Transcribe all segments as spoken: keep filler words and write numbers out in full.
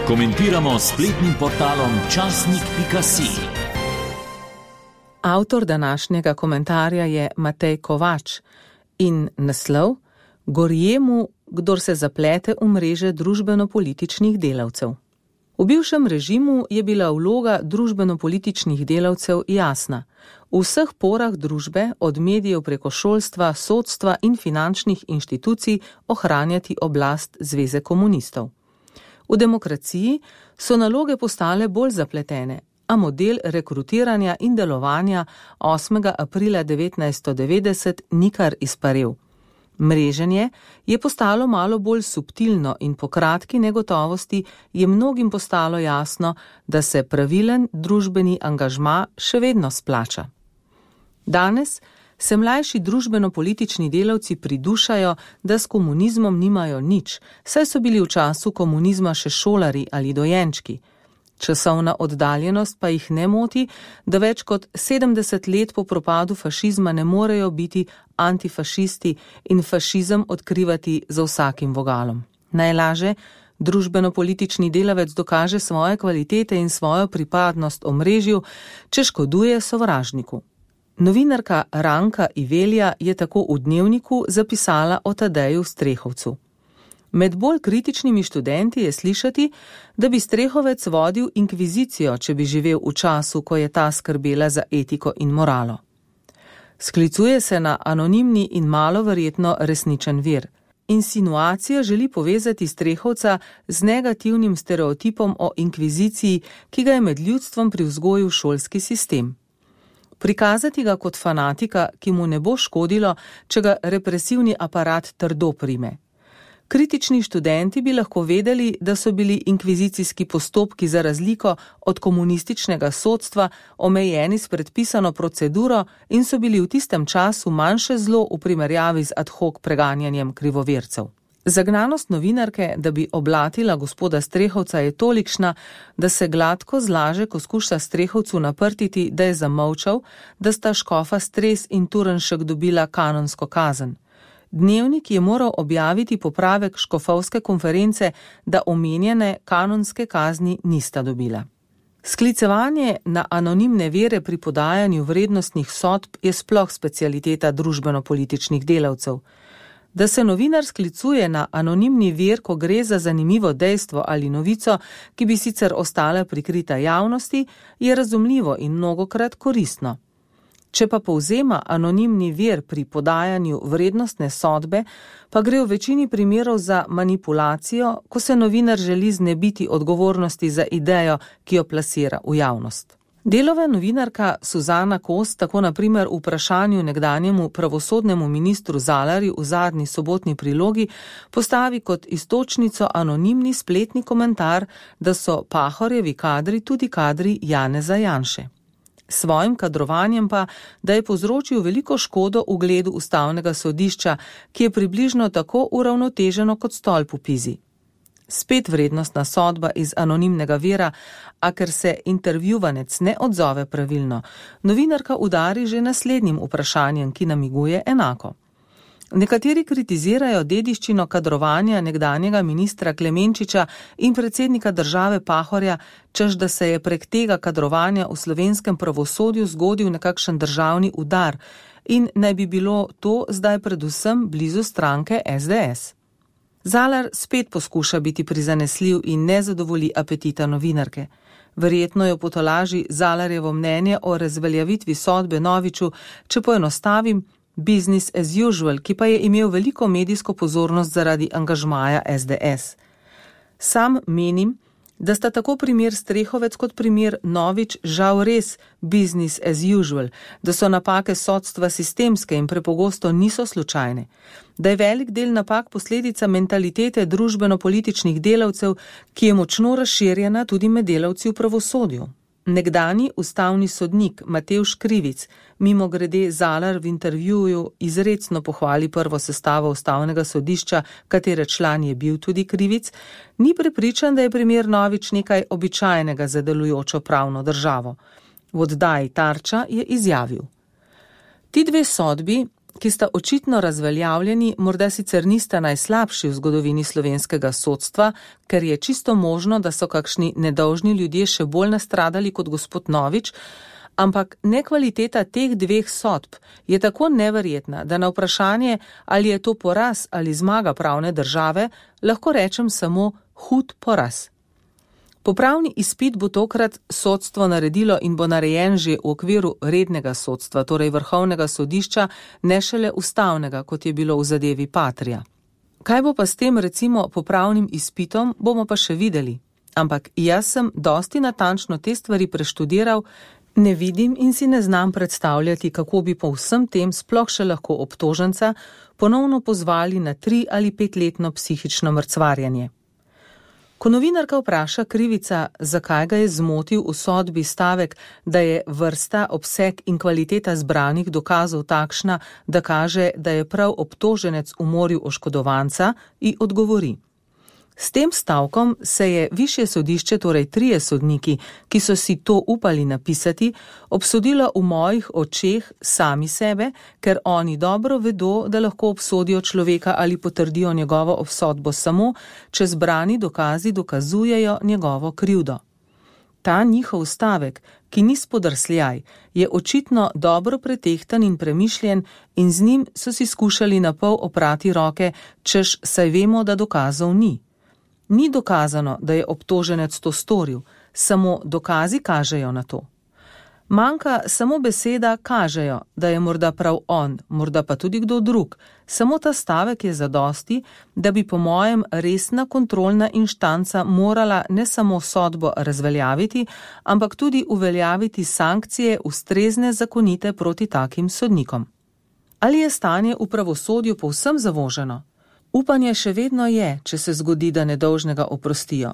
Komentiramo s spletnim portalom časnik pika si. Avtor današnjega komentarja je Matej Kovač in naslov Gorje mu, kdor se zaplete v mreže družbeno-političnih delavcev. V bivšem režimu je bila vloga družbeno-političnih delavcev jasna. V vseh porah družbe, od medijev preko šolstva, sodstva in finančnih inštitucij, ohranjati oblast Zveze komunistov. V demokraciji so naloge postale bolj zapletene, a model rekrutiranja in delovanja osmega aprila devetnajststo devetdeset nikar izparel. Mreženje je postalo malo bolj subtilno in po kratki negotovosti je mnogim postalo jasno, da se pravilen družbeni angažma še vedno splača. Danes se mlajši družbeno-politični delavci pridušajo, da s komunizmom nimajo nič, saj so bili v času komunizma še šolari ali dojenčki. Časovna oddaljenost pa jih ne moti, da več kot sedemdeset let po propadu fašizma ne morejo biti antifašisti in fašizem odkrivati za vsakim vogalom. Najlaže družbeno-politični delavec dokaže svoje kvalitete in svojo pripadnost omrežju, če škoduje sovražniku. Novinarka Ranka Ivelja je tako v Dnevniku zapisala o Tadeju Strehovcu. Med bolj kritičnimi študenti je slišati, da bi Strehovec vodil inkvizicijo, če bi živel v času, ko je ta skrbela za etiko in moralo. Sklicuje se na anonimni in malo verjetno resničen vir. Insinuacija želi povezati Strehovca z negativnim stereotipom o inkviziciji, ki ga je med ljudstvom privzgojil šolski sistem. Prikazati ga kot fanatika, ki mu ne bo škodilo, če ga represivni aparat trdo prime. Kritični študenti bi lahko vedeli, da so bili inkvizicijski postopki za razliko od komunističnega sodstva omejeni s predpisano proceduro in so bili v tistem času manjše zlo v primerjavi z ad hoc preganjanjem krivovercev. Zagnanost novinarke, da bi oblatila gospoda Strehovca, je tolikšna, da se gladko zlaže, ko skuša Strehovcu naprtiti, da je zamolčal, da sta škofa Stres in Turnšek dobila kanonsko kazen. Dnevnik je moral objaviti popravek škofovske konference, da omenjene kanonske kazni nista dobila. Sklicevanje na anonimne vere pri podajanju vrednostnih sodb je sploh specialiteta družbeno-političnih delavcev. Da se novinar sklicuje na anonimni vir, ko gre za zanimivo dejstvo ali novico, ki bi sicer ostala prikrita javnosti, je razumljivo in mnogokrat koristno. Če pa povzema anonimni vir pri podajanju vrednostne sodbe, pa gre v večini primerov za manipulacijo, ko se novinar želi znebiti odgovornosti za idejo, ki jo plasira v javnost. Delova novinarka Suzana Kos tako na primer v vprašanju nekdanjemu pravosodnemu ministru Zalarju v zadnji sobotni prilogi postavi kot iztočnico anonimni spletni komentar, da so Pahorjevi kadri tudi kadri Janeza Janše. Svojim kadrovanjem pa, da je povzročil veliko škodo ugledu ustavnega sodišča, ki je približno tako uravnoteženo kot stolp v Pizi. Spet vrednostna sodba iz anonimnega vira, a ker se intervjuvanec ne odzove pravilno, novinarka udari že naslednjim vprašanjem, ki namiguje enako. Nekateri kritizirajo dediščino kadrovanja nekdanjega ministra Klemenčiča in predsednika države Pahorja, češ da se je prek tega kadrovanja v slovenskem pravosodju zgodil nekakšen državni udar in naj bi bilo to zdaj predvsem blizu stranke es de es. Zalar spet poskuša biti prizanesljiv in ne zadovolji apetita novinarke. Verjetno jo potolaži Zalarjevo mnenje o razveljavitvi sodbe Noviču, če poenostavim, business as usual, ki pa je imel veliko medijsko pozornost zaradi angažmaja es de es. Sam menim, da sta tako primer Strehovec kot primer Novič žal res business as usual, da so napake sodstva sistemske in prepogosto niso slučajne, da je velik del napak posledica mentalitete družbeno-političnih delavcev, ki je močno razširjena tudi med delavci v pravosodju. Nekdanji ustavni sodnik Matevž Krivic, mimogrede Zalar v intervjuju izrecno pohvali prvo sestavo ustavnega sodišča, katere član je bil tudi Krivic, ni prepričan, da je primer Novič nekaj običajnega za delujočo pravno državo. V oddaji Tarča je izjavil: Ti dve sodbi ki sta očitno razveljavljeni, morda sicer nista najslabši v zgodovini slovenskega sodstva, ker je čisto možno, da so kakšni nedolžni ljudje še bolj nastradali kot gospod Novič, ampak nekvaliteta teh dveh sodb je tako neverjetna, da na vprašanje, ali je to poraz ali zmaga pravne države, lahko rečem samo hud poraz. Popravni izpit bo tokrat sodstvo naredilo in bo narejen že v okviru rednega sodstva, torej vrhovnega sodišča, ne šele ustavnega, kot je bilo v zadevi Patria. Kaj bo pa s tem recimo popravnim izpitom, bomo pa še videli. Ampak jaz sem dosti natančno te stvari preštudiral, ne vidim in si ne znam predstavljati, kako bi po vsem tem sploh še lahko obtoženca ponovno pozvali na tri ali petletno psihično mrcvarjanje. Ko novinarka vpraša krivica, zakaj ga je zmotil v sodbi stavek, da je vrsta, obseg in kvaliteta zbranih dokazov takšna, da kaže, da je prav obtoženec umoril oškodovanca, ji odgovori. S tem stavkom se je višje sodišče, torej trije sodniki, ki so si to upali napisati, obsodilo v mojih očeh sami sebe, ker oni dobro vedo, da lahko obsodijo človeka ali potrdijo njegovo obsodbo samo, če zbrani dokazi dokazujejo njegovo krivdo. Ta njihov stavek, ki ni spodrsljaj, je očitno dobro pretehtan in premišljen in z njim so si skušali napol oprati roke, češ saj vemo, da dokazov ni. Ni dokazano, da je obtoženec to storil, samo dokazi kažejo na to. Manjka samo beseda kažejo, da je morda prav on, morda pa tudi kdo drug. Samo ta stavek je zadosti, da bi po mojem resna kontrolna inštanca morala ne samo sodbo razveljaviti, ampak tudi uveljaviti sankcije ustrezne zakonite proti takim sodnikom. Ali je stanje v pravosodju povsem zavoženo? Upanje še vedno je, če se zgodi, da nedolžnega oprostijo.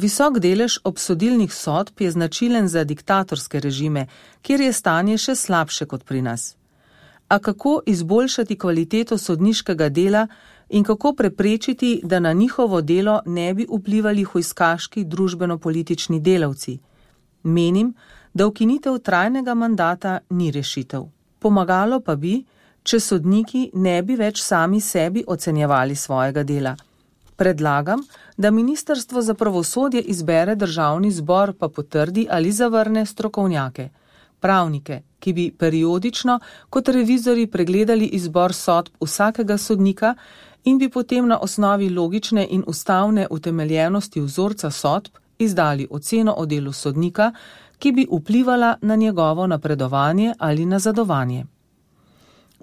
Visok delež obsodilnih sodb je značilen za diktatorske režime, kjer je stanje še slabše kot pri nas. A kako izboljšati kvaliteto sodniškega dela in kako preprečiti, da na njihovo delo ne bi vplivali hujskaški družbeno-politični delavci? Menim, da ukinitev trajnega mandata ni rešitev. Pomagalo pa bi, če sodniki ne bi več sami sebi ocenjevali svojega dela. Predlagam, da Ministrstvo za pravosodje izbere Državni zbor pa potrdi ali zavrne strokovnjake, pravnike, ki bi periodično kot revizori pregledali izbor sodb vsakega sodnika in bi potem na osnovi logične in ustavne utemeljenosti vzorca sodb izdali oceno o delu sodnika, ki bi vplivala na njegovo napredovanje ali nazadovanje.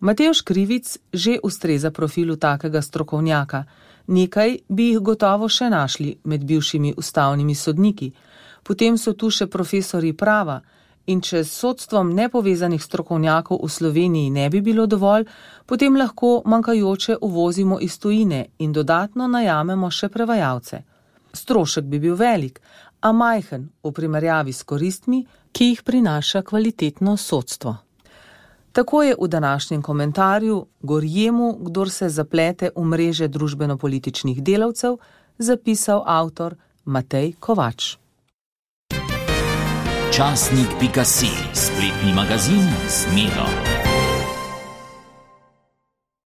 Matevž Krivic že ustreza profilu takega strokovnjaka. Nekaj bi jih gotovo še našli med bivšimi ustavnimi sodniki. Potem so tu še profesori prava in če s sodstvom nepovezanih strokovnjakov v Sloveniji ne bi bilo dovolj, potem lahko manjkajoče uvozimo iz tujine in dodatno najamemo še prevajalce. Strošek bi bil velik, a majhen v primerjavi s koristmi, ki jih prinaša kvalitetno sodstvo. Tako je v današnjem komentarju Gorjemu, kdor se zaplete v mreže družbeno-političnih delavcev, zapisal avtor Matej Kovač. Časnik pika si, spletni magazin z Miro.